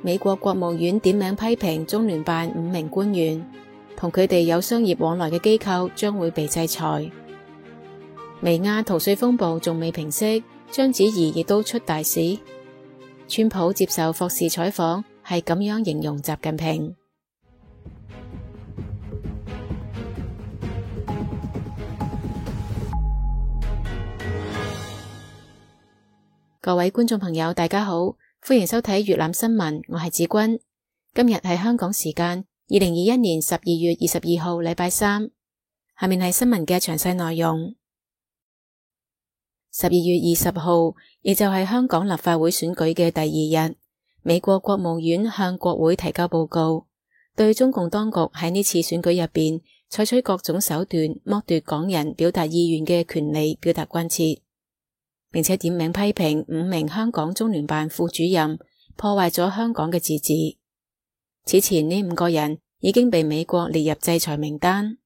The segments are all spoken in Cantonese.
美國國務院點名批評中聯辦5名官員，同佢哋有商業往來嘅機構將會被制裁。微亞逃稅風暴仲未平息，章子怡亦都出大事。川普接受霍士採訪係咁樣形容習近平。各位觀眾朋友大家好，歡迎收睇粵覽新聞，我係子君。今日係香港時間2021年12月22號禮拜三。下面係新聞嘅詳細內容。12月20號，亦就係香港立法會選舉嘅第二日，美國國務院向國會提交報告，對中共當局喺呢次選舉入邊採取各種手段剝奪港人表達意願嘅權利表達關切，並且點名批評5名香港中聯辦副主任破壞咗香港嘅自治。此前呢5個人已經被美國列入制裁名單。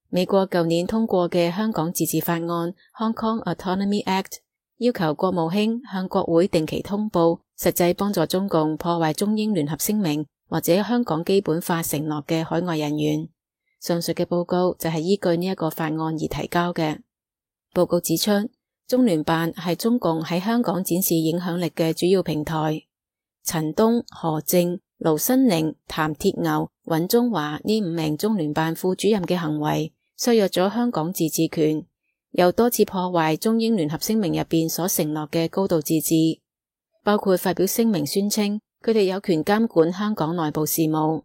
美國舊年通過嘅香港自治法案 Hong Kong Autonomy Act 要求國務卿向國會定期通報實際幫助中共破壞中英聯合聲明或者香港基本法承諾嘅海外人員。上述嘅報告就係依據呢一個法案而提交嘅。報告指出，中聯辦係中共喺香港展示影響力嘅主要平台。陳東、何正、盧新寧、譚鐵牛、尹中華呢5名中聯辦副主任嘅行為削弱咗香港自治權，又多次破壞中英聯合聲明入邊所承諾嘅高度自治，包括發表聲明宣稱佢哋有權監管香港內部事務。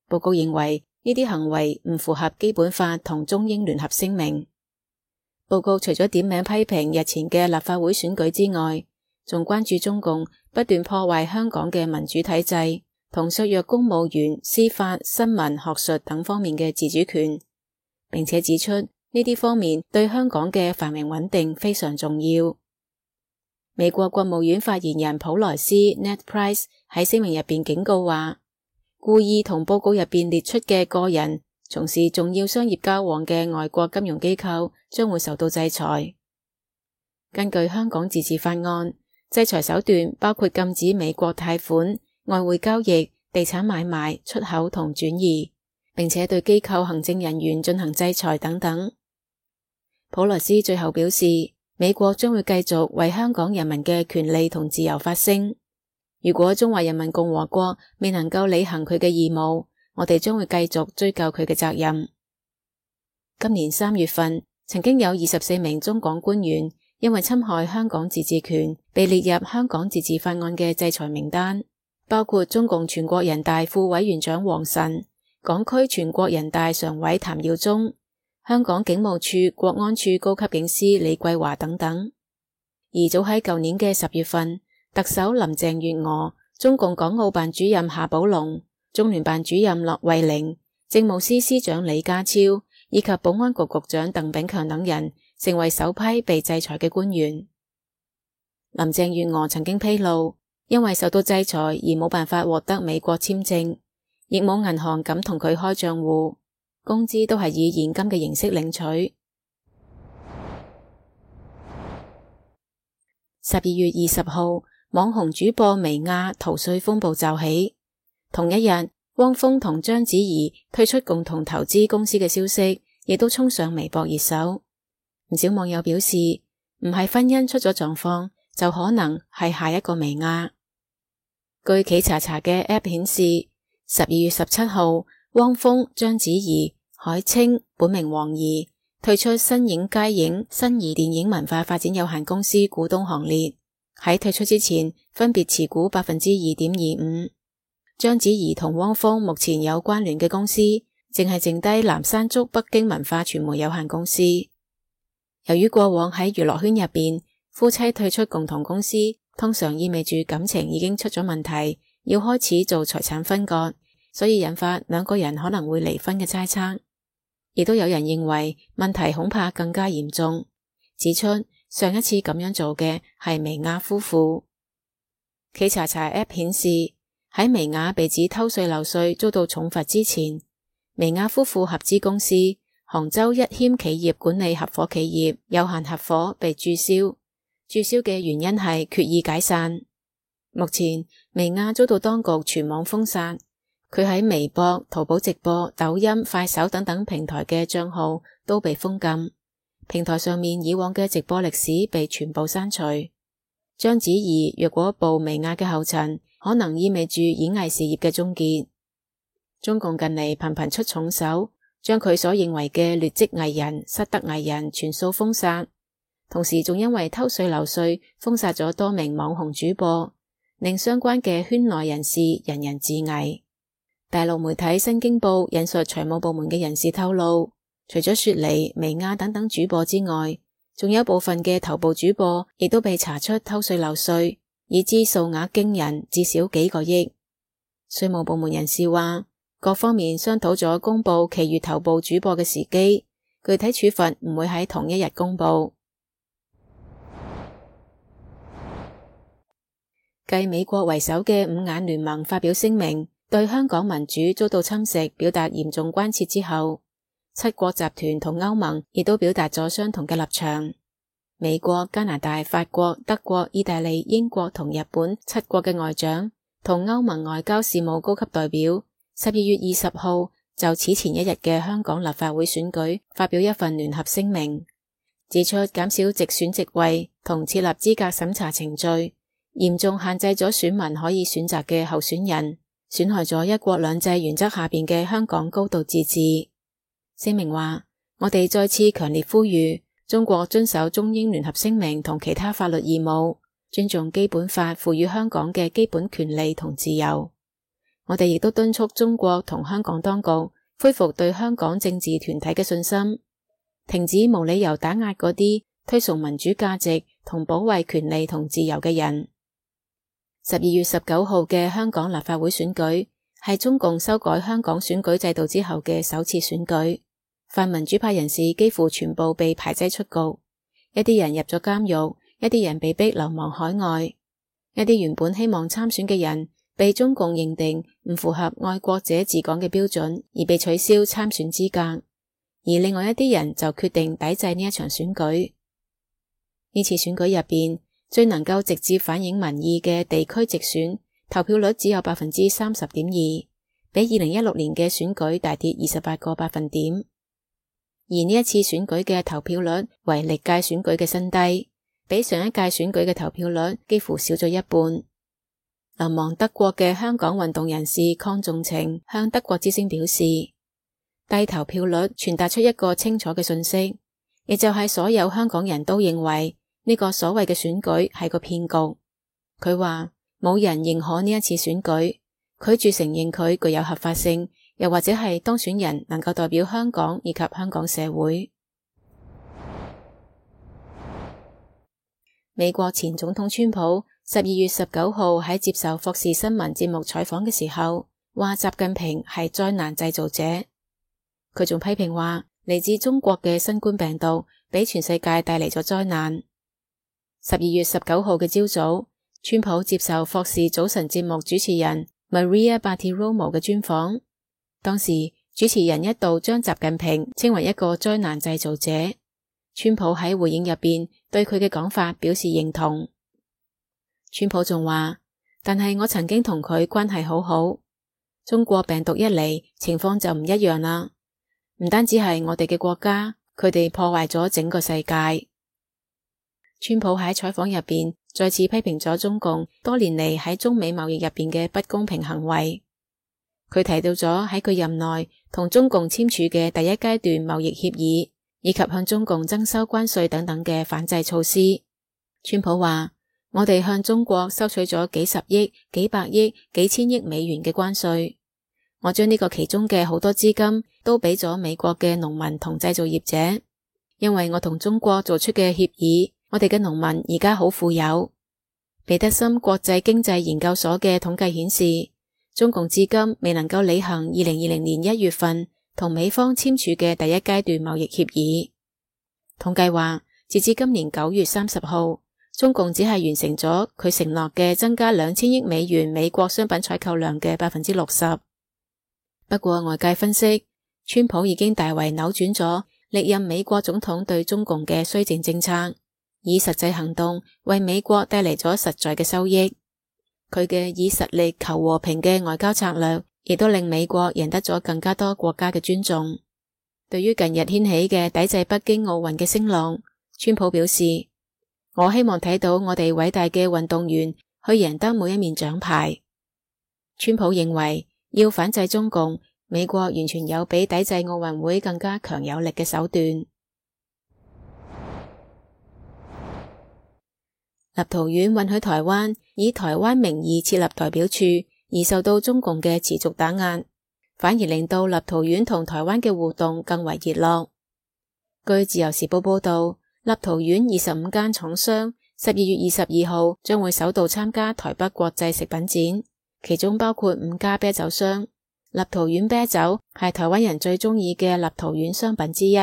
報告認為呢啲行為唔符合基本法同中英聯合聲明。報告除咗點名批評日前嘅立法會選舉之外，仲關注中共不斷破壞香港嘅民主體制，同削弱公務員、司法、新聞、學術等方面嘅自主權，並且指出呢啲方面對香港嘅繁榮穩定非常重要。美國國務院發言人普萊斯 Ned Price 喺聲明入邊警告話，故意同報告入邊列出嘅個人從事重要商業交往嘅外國金融機構將會受到制裁。根據香港自治法案，制裁手段包括禁止美國貸款、外匯交易、地產買賣、出口同轉移，並且對機構行政人員進行制裁等等。普萊斯最後表示，美國將會繼續為香港人民嘅權利同自由發聲。如果中華人民共和國未能夠履行佢嘅義務，我哋將會繼續追究佢嘅責任。今年3月份，曾經有24名中港官員因為侵害香港自治權，被列入香港自治法案嘅制裁名單，包括中共全國人大副委員長王晨、港區全國人大常委譚耀宗、香港警務處國安處高級警司李桂華等等。而早喺舊年嘅10月份，特首林鄭月娥、中共港澳辦主任夏寶龍、中聯辦主任駱惠寧、政務司司長李家超以及保安局局長鄧炳強等人成為首批被制裁嘅官員。林鄭月娥曾經披露，因為受到制裁而冇辦法獲得美國簽證，亦冇銀行敢同佢開賬戶，工資都係以現金嘅形式領取。12月20號，網紅主播微亞逃稅風暴驟起。同一日，汪峰同章子怡退出共同投資公司嘅消息亦都衝上微博熱搜。唔少網友表示，唔係婚姻出咗狀況，就可能係下一個微亞。據企查查嘅 App 顯示，12月17號，汪峰、章子怡、海清本名黃怡退出新影佳影新儀電影文化發展有限公司股東行列。喺退出之前，分別持股 2.25%。章子怡同汪峰目前有關聯嘅公司，淨係剩低南山竹北京文化傳媒有限公司。由於過往喺娛樂圈入邊，夫妻退出共同公司，通常意味住感情已經出咗問題，要開始做財產分割，所以引發兩個人可能會離婚嘅猜測。亦都有人認為問題恐怕更加嚴重，指出上一次咁樣做嘅係微亞夫婦。企查查 App 顯示，喺微亞被指偷稅漏稅遭到重罰之前，微亞夫婦合資公司杭州一謙企業管理合夥企業有限合夥被註銷，註銷嘅原因係決意解散。目前薇婭遭到當局全網封殺，佢喺微博、淘寶直播、抖音、快手等等平台嘅賬號都被封禁，平台上面以往嘅直播歷史被全部刪除。章子怡若果步薇婭嘅後塵，可能意味住演藝事業嘅終結。中共近嚟頻頻出重手，將佢所認為嘅劣跡藝人、失德藝人全數封殺，同時仲因為偷稅漏稅封殺咗多名網紅主播，令相關嘅圈內人士人人自危。大陸媒體新京報引述財務部門嘅人士透露，除咗雪梨、薇婭等等主播之外，仲有部分嘅頭部主播亦都被查出偷稅漏稅，已知數額驚人，至少幾個億。稅務部門人士話，各方面商討咗公布其餘頭部主播嘅時機，具體處罰唔會喺同一日公布。繼美國為首嘅五眼聯盟發表聲明，對香港民主遭到侵蝕表達嚴重關切之後，七國集團同歐盟亦都表達咗相同嘅立場。美國、加拿大、法國、德國、意大利、英國同日本七國嘅外長同歐盟外交事務高級代表12月20號就此前一日嘅香港立法會選舉發表一份聯合聲明，指出減少直選席位同設立資格審查程序，嚴重限制咗選民可以選擇嘅候選人，損害咗一國兩制原則下邊嘅香港高度自治。聲明話，我哋再次強烈呼籲中國遵守中英聯合聲明同其他法律義務，尊重基本法賦予香港嘅基本權利同自由。我哋亦都敦促中國同香港當局恢復對香港政治團體嘅信心，停止無理由打壓嗰啲推崇民主價值同保衛權利同自由嘅人。12月19號嘅香港立法會選舉係中共修改香港選舉制度之後嘅首次選舉，泛民主派人士幾乎全部被排擠出局，一啲人入咗監獄，一啲人被逼流亡海外，一啲原本希望參選嘅人被中共認定唔符合愛國者治港嘅標準而被取消參選資格，而另外一啲人就決定抵制呢一場選舉。呢次選舉入邊最能夠直接反映民意嘅地區直選投票率只有 30.2%， 比2016年嘅選舉大跌28個百分點。而呢一次選舉嘅投票率為歷屆選舉嘅新低，比上一屆選舉嘅投票率幾乎少咗一半。流亡德國嘅香港運動人士鄺仲晴向德國之聲表示，低投票率傳達出一個清楚嘅信息，亦就係所有香港人都認為呢個所謂嘅選舉係個騙局。佢話冇人認可呢一次選舉，拒絕承認佢具有合法性，又或者係當選人能夠代表香港以及香港社會。美國前總統川普12月19號喺接受霍士新聞節目採訪嘅時候，話習近平係災難製造者。佢仲批評話，嚟自中國嘅新冠病毒俾全世界帶嚟咗災難。12月19號嘅朝早，川普接受霍士早晨節目主持人 Maria Bartiromo 嘅專訪，當時主持人一度將習近平稱為一個災難製造者。川普喺回應入邊對佢嘅講法表示認同。川普仲話，但係我曾經同佢關係好好，中國病毒一嚟，情況就唔一樣啦。唔單止係我哋嘅國家，佢哋破壞咗整個世界。川普喺採訪入邊再次批評咗中共多年嚟喺中美貿易入邊嘅不公平行為。佢提到咗喺佢任內同中共簽署嘅第一階段貿易協議，以及向中共徵收關稅等等嘅反制措施。川普話，我哋向中國收取咗幾十億、幾百億、幾千億美元嘅關稅，我將呢個其中嘅好多資金都俾咗美國嘅農民同製造業者，因為我同中國做出嘅協議，我哋嘅農民而家好富有。彼得森國際經濟研究所嘅統計顯示，中共至今未能夠履行2020年1月份同美方簽署嘅第一階段貿易協議。統計話，截至今年9月30號，中共只係完成咗佢承諾嘅增加2000億美元美國商品採購量嘅 60%。不過外界分析，川普已經大為扭轉咗歷任美國總統對中共嘅綏靖政策，以實際行動為美國帶嚟咗實在嘅收益。佢嘅以實力求和平嘅外交策略，亦都令美國贏得咗更加多國家嘅尊重。對於近日掀起嘅抵制北京奧運嘅聲浪，川普表示：我希望睇到我哋偉大嘅運動員去贏得每一面獎牌。川普認為要反制中共，美國完全有比抵制奧運會更加強有力嘅手段。立陶宛允許台灣以台灣名義設立代表處，而受到中共嘅持續打壓，反而令到立陶宛同台灣嘅互動更為熱絡。據自由時報報道，立陶宛25間廠商12月22號將會首度參加台北國際食品展，其中包括5家啤酒商。立陶宛啤酒係台灣人最中意嘅立陶宛商品之一。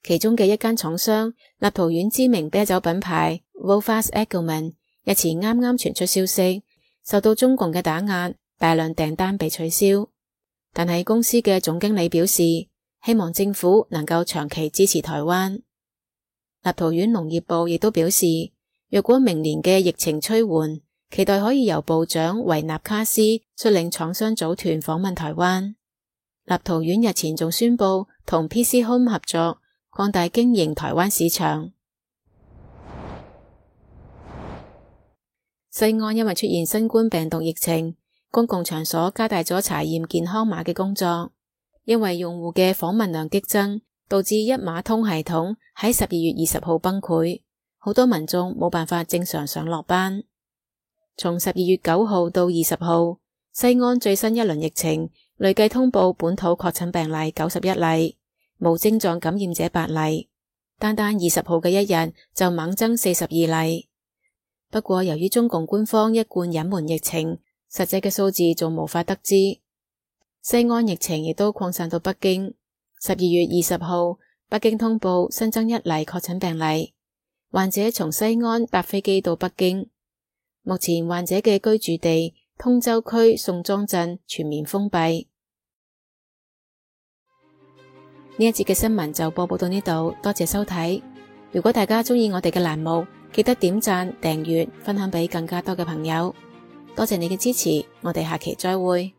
其中嘅一間廠商，立陶宛知名啤酒品牌 Wolfas Eggman 日前啱啱傳出消息，受到中共嘅打壓，大量訂單被取消。但係公司嘅總經理表示，希望政府能夠長期支持台灣。立陶宛農業部亦都表示，若果明年嘅疫情趨緩，期待可以由部長維納卡斯率領廠商組團訪問台灣。立陶宛日前仲宣布同 PC Home 合作，擴大經營台灣市場。西安因為出現新冠病毒疫情，公共場所加大咗查驗健康碼嘅工作。因為用戶嘅訪問量激增，導致一碼通系統喺12月20號崩潰，好多民眾冇辦法正常上落班。從12月9號到20號，西安最新一輪疫情累計通報本土確診病例91例，無症狀感染者8例，單20號嘅一日就猛增42例。不過由於中共官方一貫隱瞞疫情，實際嘅數字仲無法得知。西安疫情亦都擴散到北京。12月20號，北京通報新增1例確診病例，患者從西安搭飛機到北京。目前患者嘅居住地通州區宋莊鎮全面封閉。呢一節嘅新聞就播報到呢度，多謝收睇。如果大家鍾意我哋嘅欄目，記得點讚、訂閱、分享俾更加多嘅朋友。多謝你嘅支持，我哋下期再會。